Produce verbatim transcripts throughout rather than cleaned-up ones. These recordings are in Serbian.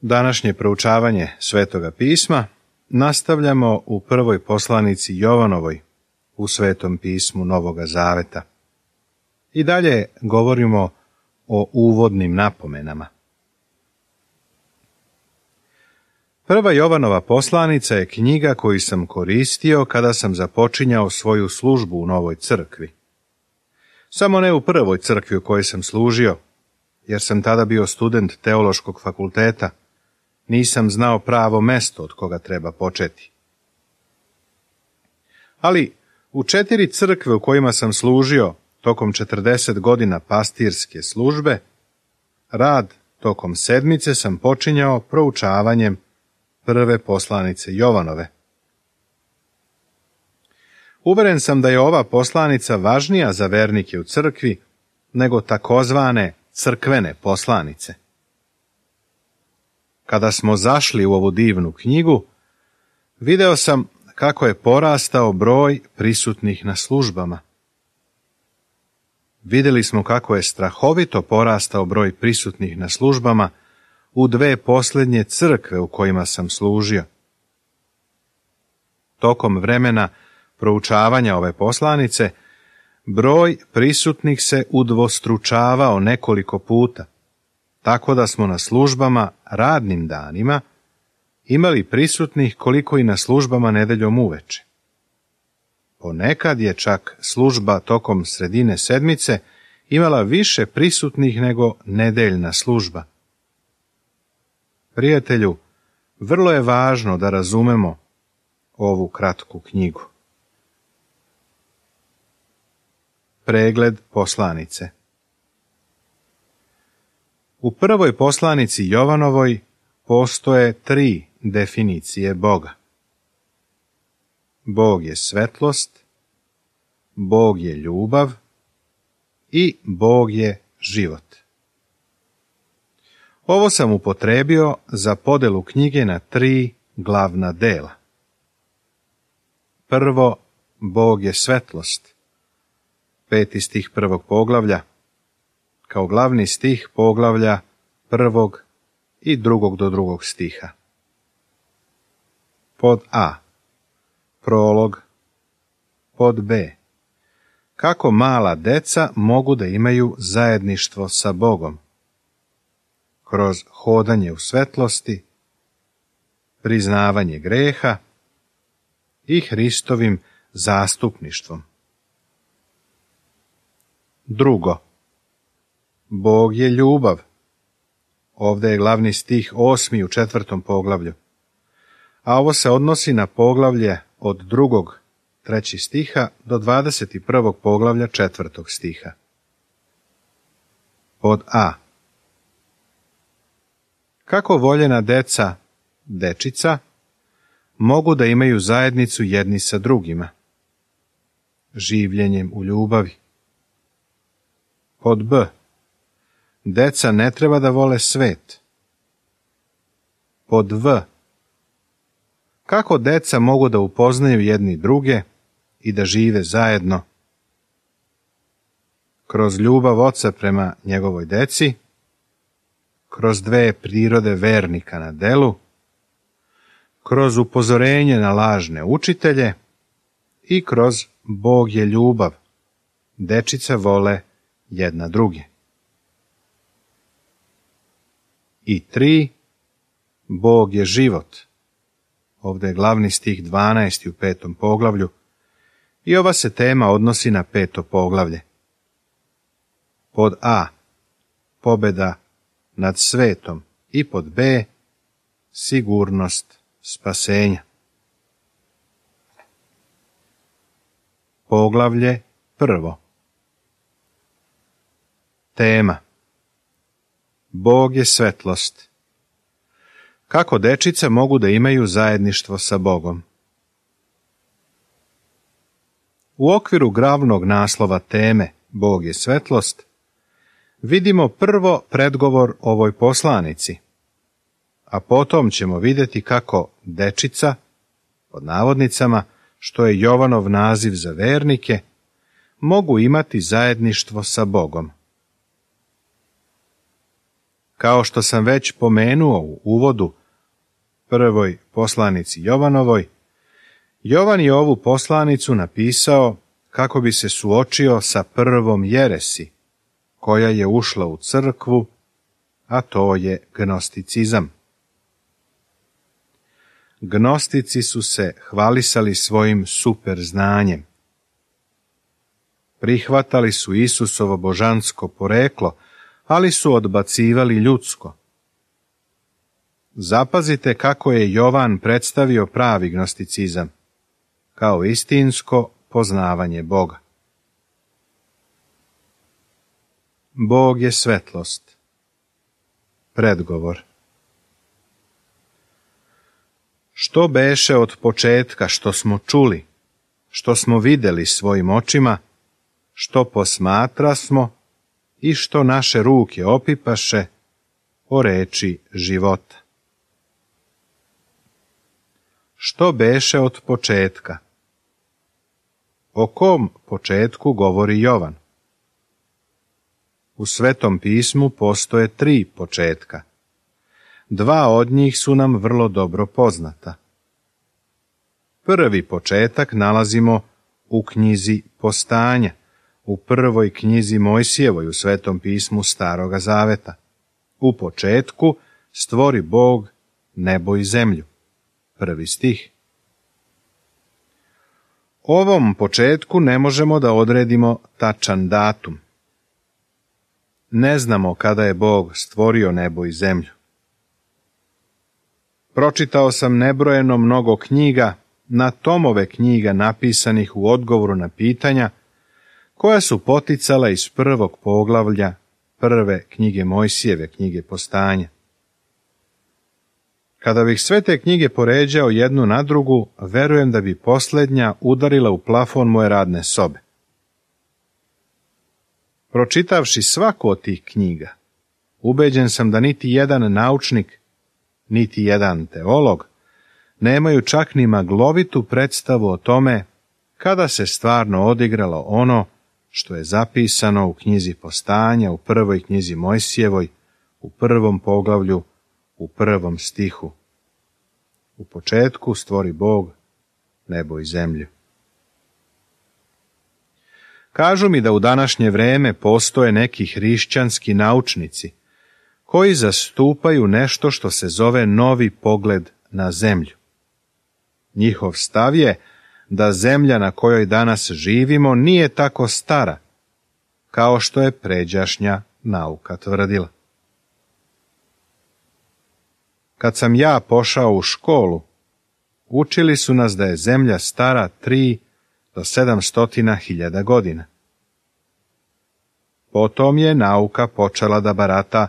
Današnje proučavanje Svetoga pisma nastavljamo u prvoj poslanici Jovanovoj u Svetom pismu Novoga Zaveta. I dalje govorimo o uvodnim napomenama. Prva Jovanova poslanica je knjiga koju sam koristio kada sam započinjao svoju službu u Novoj crkvi. Samo ne u prvoj crkvi u kojoj sam služio, jer sam tada bio student teološkog fakulteta. Nisam znao pravo mesto od koga treba početi. Ali u četiri crkve u kojima sam služio tokom četrdeset godina pastirske službe, rad tokom sedmice sam počinjao proučavanjem prve poslanice Jovanove. Uveren sam da je ova poslanica važnija za vernike u crkvi nego takozvane crkvene poslanice. Kada smo zašli u ovu divnu knjigu, video sam kako je porastao broj prisutnih na službama. Vidjeli smo kako je strahovito porastao broj prisutnih na službama u dve posljednje crkve u kojima sam služio. Tokom vremena proučavanja ove poslanice, broj prisutnih se udvostručavao nekoliko puta, tako da smo na službama radnim danima imali prisutnih koliko i na službama nedeljom uveče. Ponekad je čak služba tokom sredine sedmice imala više prisutnih nego nedeljna služba. Prijatelju, vrlo je važno da razumemo ovu kratku knjigu. Pregled poslanice. U prvoj poslanici Jovanovoj postoje tri definicije Boga. Bog je svetlost, Bog je ljubav i Bog je život. Ovo sam upotrebio za podelu knjige na tri glavna dela. Prvo, Bog je svetlost, peti stih prvog poglavlja, kao glavni stih poglavlja prvog i drugog do drugog stiha. Pod A. Prolog. Pod B. Kako mala deca mogu da imaju zajedništvo sa Bogom? Kroz hodanje u svetlosti, priznavanje greha i Hristovim zastupništvom. Drugo. Bog je ljubav. Ovdje je glavni stih osmi u četvrtom poglavlju, a ovo se odnosi na poglavlje od drugog, treći stiha do dvadeset prvog poglavlja četvrtog stiha. Pod A. Kako voljena deca, dečica, mogu da imaju zajednicu jedni sa drugima? Življenjem u ljubavi. Pod B. Deca ne treba da vole svet. Pod V. Kako deca mogu da upoznaju jedni druge i da žive zajedno? Kroz ljubav oca prema njegovoj deci, kroz dve prirode vernika na delu, kroz upozorenje na lažne učitelje i kroz Bog je ljubav. Dečica vole jedna druge. I tri. Bog je život. Ovdje je glavni stih dvanaesti u petom poglavlju i ova se tema odnosi na peto poglavlje. Pod A. Pobjeda nad svetom i pod B. Sigurnost spasenja. Poglavlje prvo. Tema. Bog je svetlost. Kako dečica mogu da imaju zajedništvo sa Bogom? U okviru glavnog naslova teme Bog je svetlost vidimo prvo predgovor ovoj poslanici, a potom ćemo vidjeti kako dečica, pod navodnicama, što je Jovanov naziv za vernike, mogu imati zajedništvo sa Bogom. Kao što sam već pomenuo u uvodu prvoj poslanici Jovanovoj, Jovan je ovu poslanicu napisao kako bi se suočio sa prvom jeresi, koja je ušla u crkvu, a to je gnosticizam. Gnostici su se hvalisali svojim super znanjem. Prihvatali su Isusovo božansko poreklo, ali su odbacivali ljudsko. Zapazite kako je Jovan predstavio pravi gnosticizam, kao istinsko poznavanje Boga. Bog je svetlost. Predgovor. Što beše od početka, što smo čuli, što smo videli svojim očima, što posmatrasmo i što naše ruke opipaše o reči života. Što beše od početka? O kom početku govori Jovan? U Svetom pismu postoje tri početka. Dva od njih su nam vrlo dobro poznata. Prvi početak nalazimo u knjizi Postanja, u prvoj knjizi Mojsijevoj u Svetom pismu Staroga Zaveta. U početku stvori Bog nebo i zemlju. Prvi stih. Ovom početku ne možemo da odredimo tačan datum. Ne znamo kada je Bog stvorio nebo i zemlju. Pročitao sam nebrojeno mnogo knjiga, na tomove knjiga napisanih u odgovoru na pitanja, koja su poticala iz prvog poglavlja prve knjige Mojsijeve, knjige Postanja. Kada bih sve te knjige poređao jednu na drugu, verujem da bi posljednja udarila u plafon moje radne sobe. Pročitavši svaku od tih knjiga, ubeđen sam da niti jedan naučnik, niti jedan teolog nemaju čak ni maglovitu predstavu o tome kada se stvarno odigralo ono što je zapisano u knjizi Postanja, u prvoj knjizi Mojsijevoj, u prvom poglavlju, u prvom stihu. U početku stvori Bog nebo i zemlju. Kažu mi da u današnje vreme postoje neki hrišćanski naučnici koji zastupaju nešto što se zove novi pogled na zemlju. Njihov stav je da zemlja na kojoj danas živimo nije tako stara, kao što je pređašnja nauka tvrdila. Kad sam ja pošao u školu, učili su nas da je zemlja stara tri do sedamstotina hiljada godina. Potom je nauka počela da barata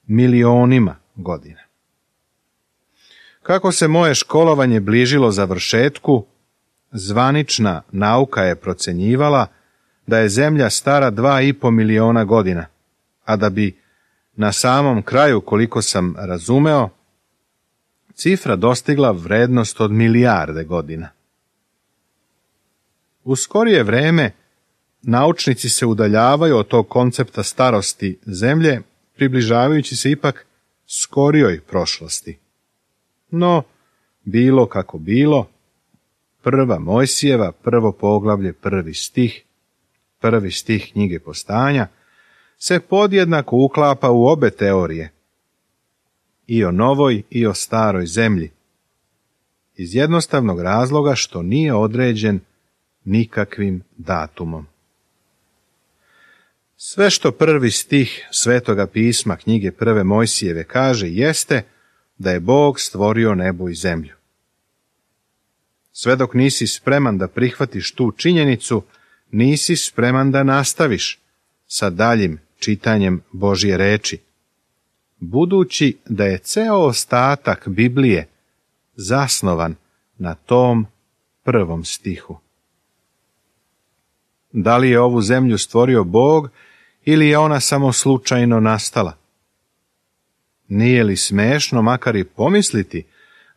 milionima godina. Kako se moje školovanje bližilo završetku, zvanična nauka je procenjivala da je zemlja stara dva i po miliona godina, a da bi na samom kraju, koliko sam razumeo, cifra dostigla vrednost od milijarde godina. U skorije vreme naučnici se udaljavaju od tog koncepta starosti zemlje, približavajući se ipak skorijoj prošlosti. No, bilo kako bilo, prva Mojsijeva, prvo poglavlje, prvi stih, prvi stih knjige Postanja, se podjednako uklapa u obe teorije, i o novoj i o staroj zemlji, iz jednostavnog razloga što nije određen nikakvim datumom. Sve što prvi stih Svetoga pisma knjige prve Mojsijeve kaže jeste da je Bog stvorio nebo i zemlju. Sve dok nisi spreman da prihvatiš tu činjenicu, nisi spreman da nastaviš sa daljim čitanjem Božje reči, budući da je ceo ostatak Biblije zasnovan na tom prvom stihu. Da li je ovu zemlju stvorio Bog ili je ona samo slučajno nastala? Nije li smešno makar i pomisliti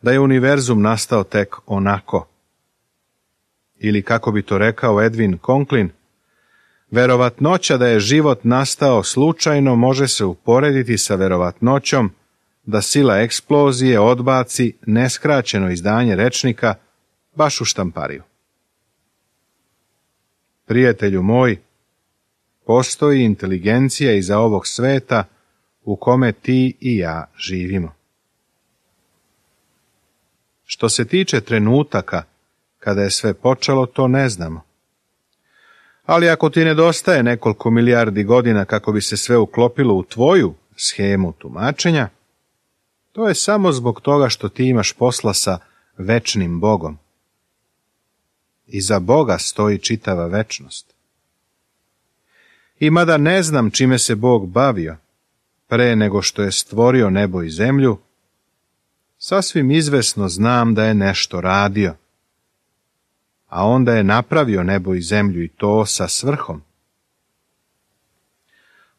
da je univerzum nastao tek onako? Ili kako bi to rekao Edwin Conklin, Verovatnoća da je život nastao slučajno može se uporediti sa verovatnoćom da sila eksplozije odbaci neskraćeno izdanje rečnika baš u štampariju. Prijatelju moj, postoji inteligencija iza ovog sveta u kome ti i ja živimo. Što se tiče trenutaka kada je sve počelo, to ne znamo. Ali ako ti nedostaje nekoliko milijardi godina kako bi se sve uklopilo u tvoju shemu tumačenja, to je samo zbog toga što ti imaš posla sa večnim Bogom. Iza Boga stoji čitava večnost. I mada ne znam čime se Bog bavio pre nego što je stvorio nebo i zemlju, sasvim izvesno znam da je nešto radio. A onda je napravio nebo i zemlju i to sa svrhom.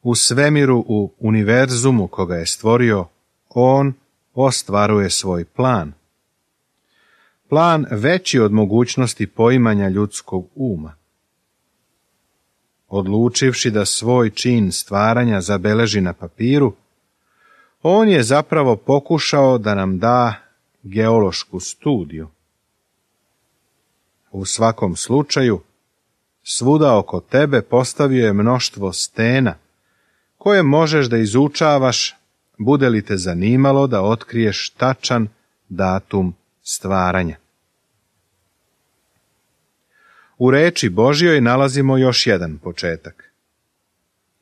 U svemiru, u univerzumu koga je stvorio, on ostvaruje svoj plan. Plan veći od mogućnosti poimanja ljudskog uma. Odlučivši da svoj čin stvaranja zabeleži na papiru, on je zapravo pokušao da nam da geološku studiju. U svakom slučaju, svuda oko tebe postavio je mnoštvo stena, koje možeš da izučavaš, bude li te zanimalo da otkriješ tačan datum stvaranja. U reči Božjoj nalazimo još jedan početak.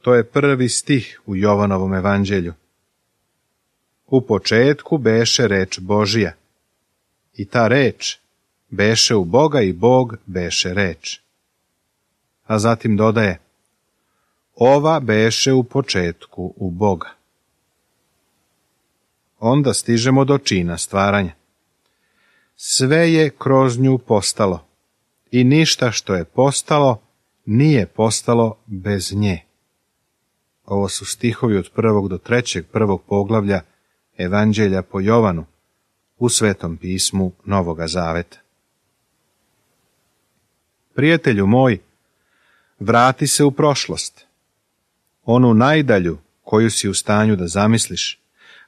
To je prvi stih u Jovanovom evanđelju. U početku beše reč Božija, i ta reč beše u Boga i Bog beše reč. A zatim dodaje, ova beše u početku u Boga. Onda stižemo do čina stvaranja. Sve je kroz nju postalo i ništa što je postalo nije postalo bez nje. Ovo su stihovi od prvog do trećeg prvog poglavlja Evanđelja po Jovanu u Svetom pismu Novoga Zaveta. Prijatelju moj, vrati se u prošlost, onu najdalju koju si u stanju da zamisliš,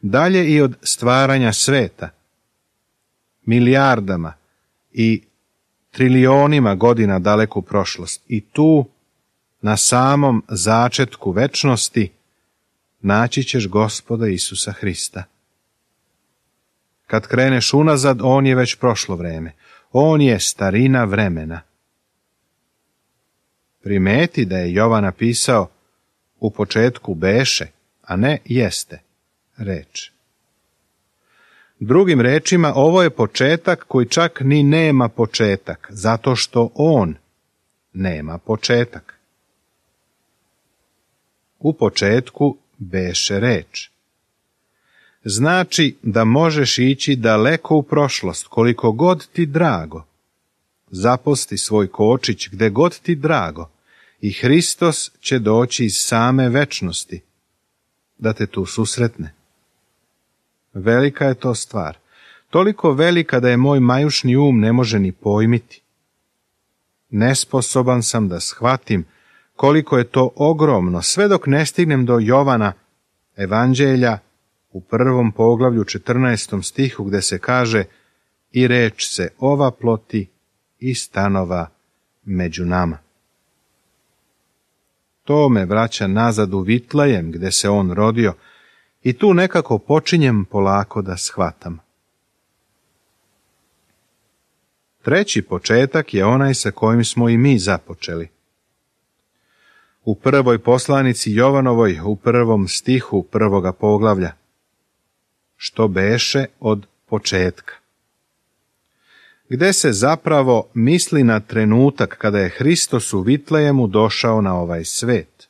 dalje i od stvaranja sveta, milijardama i trilionima godina daleku prošlost, i tu, na samom začetku večnosti, naći ćeš Gospoda Isusa Hrista. Kad kreneš unazad, on je već prošlo vreme, on je starina vremena. Primeti da je Jovan napisao u početku beše, a ne jeste reč. Drugim rečima, ovo je početak koji čak ni nema početak, zato što on nema početak. U početku beše reč. Znači da možeš ići daleko u prošlost, koliko god ti drago. Zaposti svoj kočić gde god ti drago i Hristos će doći iz same večnosti da te tu susretne. Velika je to stvar, toliko velika da je moj majušni um ne može ni pojmiti. Nesposoban sam da shvatim koliko je to ogromno, sve dok ne stignem do Jovana, Evanđelja, u prvom poglavlju četrnaestom stihu gde se kaže i reč se ova ploti i stanova među nama. To me vraća nazad u Vitlejem gde se on rodio i tu nekako počinjem polako da shvatam. Treći početak je onaj sa kojim smo i mi započeli. U prvoj poslanici Jovanovoj, u prvom stihu prvoga poglavlja, što beše od početka, gde se zapravo misli na trenutak kada je Hristos u Vitlejemu došao na ovaj svet.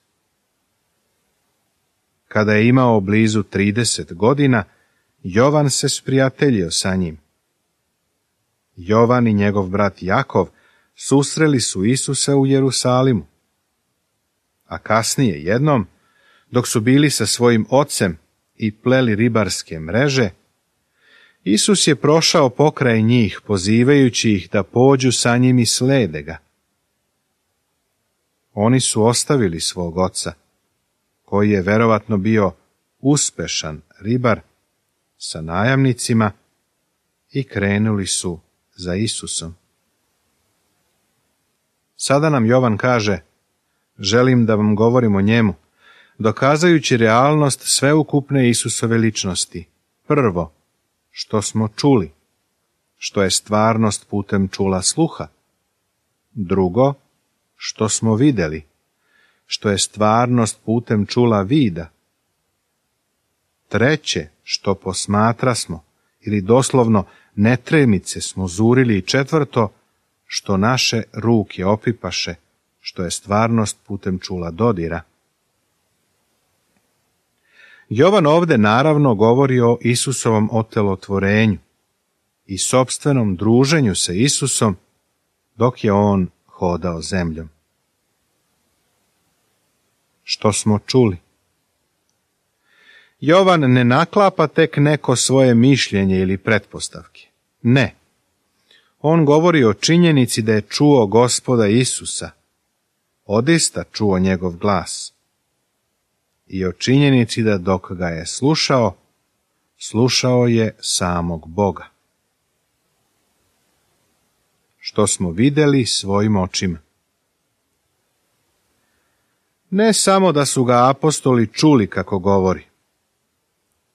Kada je imao blizu trideset godina, Jovan se sprijateljio sa njim. Jovan i njegov brat Jakov susreli su Isusa u Jerusalimu. A kasnije jednom, dok su bili sa svojim ocem i pleli ribarske mreže, Isus je prošao pokraj njih, pozivajući ih da pođu sa njim i slede ga. Oni su ostavili svog oca, koji je verovatno bio uspešan ribar, sa najamnicima i krenuli su za Isusom. Sada nam Jovan kaže, želim da vam govorim o njemu, dokazujući realnost sveukupne Isusove ličnosti. Prvo, što smo čuli, što je stvarnost putem čula sluha. Drugo, što smo vidjeli, što je stvarnost putem čula vida. Treće, što posmatrasmo, ili doslovno netremice smo zurili. I četvrto, što naše ruke opipaše, što je stvarnost putem čula dodira. Jovan ovdje naravno govori o Isusovom otelotvorenju i sopstvenom druženju sa Isusom dok je on hodao zemljom. Što smo čuli? Jovan ne naklapa tek neko svoje mišljenje ili pretpostavke. Ne. On govori o činjenici da je čuo Gospoda Isusa, odista čuo njegov glas, i o činjenici da dok ga je slušao, slušao je samog Boga. Što smo vidjeli svojim očima. Ne samo da su ga apostoli čuli kako govori,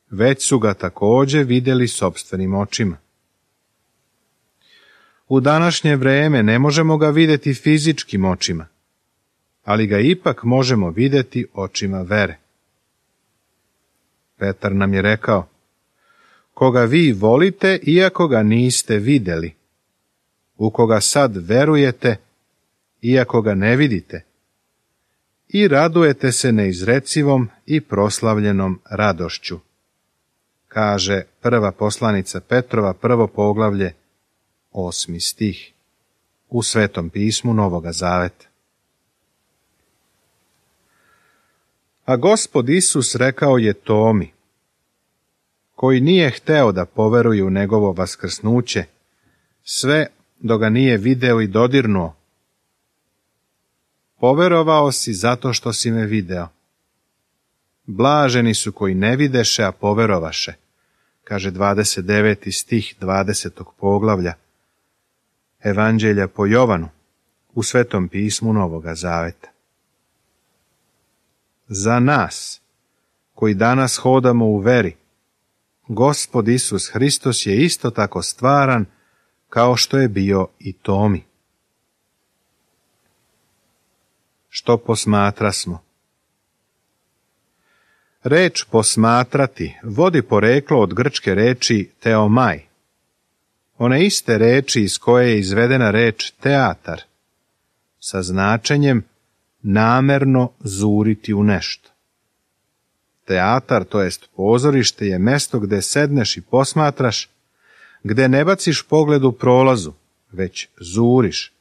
već su ga također vidjeli sopstvenim očima. U današnje vrijeme ne možemo ga vidjeti fizičkim očima, ali ga ipak možemo vidjeti očima vere. Petar nam je rekao, koga vi volite iako ga niste vidjeli, u koga sad verujete iako ga ne vidite, i radujete se neizrecivom i proslavljenom radošću, kaže prva poslanica Petrova, prvo poglavlje, osmi stih, u Svetom pismu Novoga Zaveta. A Gospod Isus rekao je Tomi, koji nije hteo da poveruje u njegovo vaskrsnuće, sve dok ga nije video i dodirnuo. Poverovao si zato što si me video. Blaženi su koji ne videše, a poverovaše, kaže dvadeset deveti stih dvadesetog poglavlja Evanđelja po Jovanu, u Svetom pismu Novoga Zaveta. Za nas, koji danas hodamo u veri, Gospod Isus Hristos je isto tako stvaran kao što je bio i Tomi. Što posmatrasmo? Reč posmatrati vodi poreklo od grčke reči teomaj, one iste reči iz koje je izvedena reč teatar, sa značenjem namerno zuriti u nešto. Teatar, to jest pozorište, je mesto gde sedneš i posmatraš, gde ne baciš pogled u prolazu, već zuriš.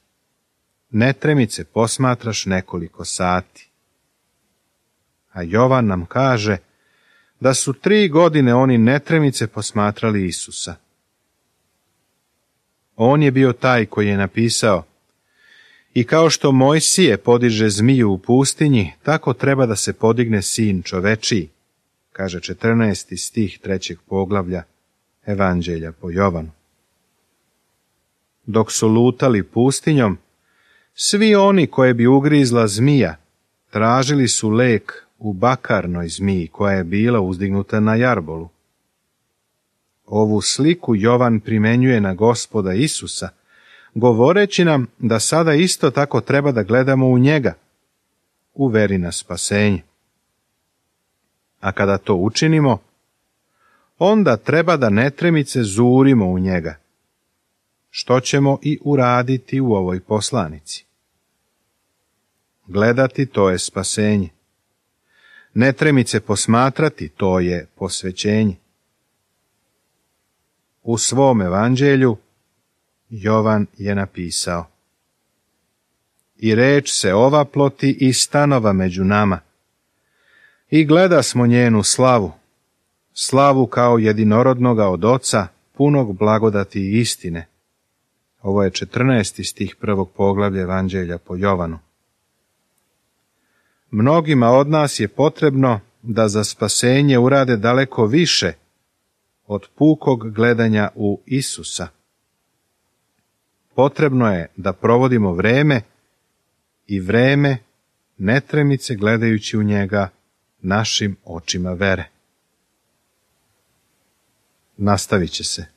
Netremice posmatraš nekoliko sati. A Jovan nam kaže da su tri godine oni netremice posmatrali Isusa. On je bio taj koji je napisao, i kao što Mojsije podiže zmiju u pustinji, tako treba da se podigne sin čovečiji, kaže četrnaesti stih trećeg poglavlja Evanđelja po Jovanu. Dok su lutali pustinjom, svi oni koje bi ugrizla zmija tražili su lek u bakarnoj zmiji koja je bila uzdignuta na jarbolu. Ovu sliku Jovan primenjuje na Gospoda Isusa, govoreći nam da sada isto tako treba da gledamo u njega, u veri na spasenje. A kada to učinimo, onda treba da netremice zurimo u njega, što ćemo i uraditi u ovoj poslanici. Gledati, to je spasenje. Netremice posmatrati, to je posvećenje. U svom evanđelju Jovan je napisao: I reč se ovaploti i stanova među nama, i gleda smo njenu slavu, slavu kao jedinorodnoga od Oca, punog blagodati i istine. Ovo je četrnaesti stih prvog poglavlja Evanđelja po Jovanu. Mnogima od nas je potrebno da za spasenje urade daleko više od pukog gledanja u Isusa. Potrebno je da provodimo vreme i vreme netremice gledajući u njega našim očima vere. Nastavit će se.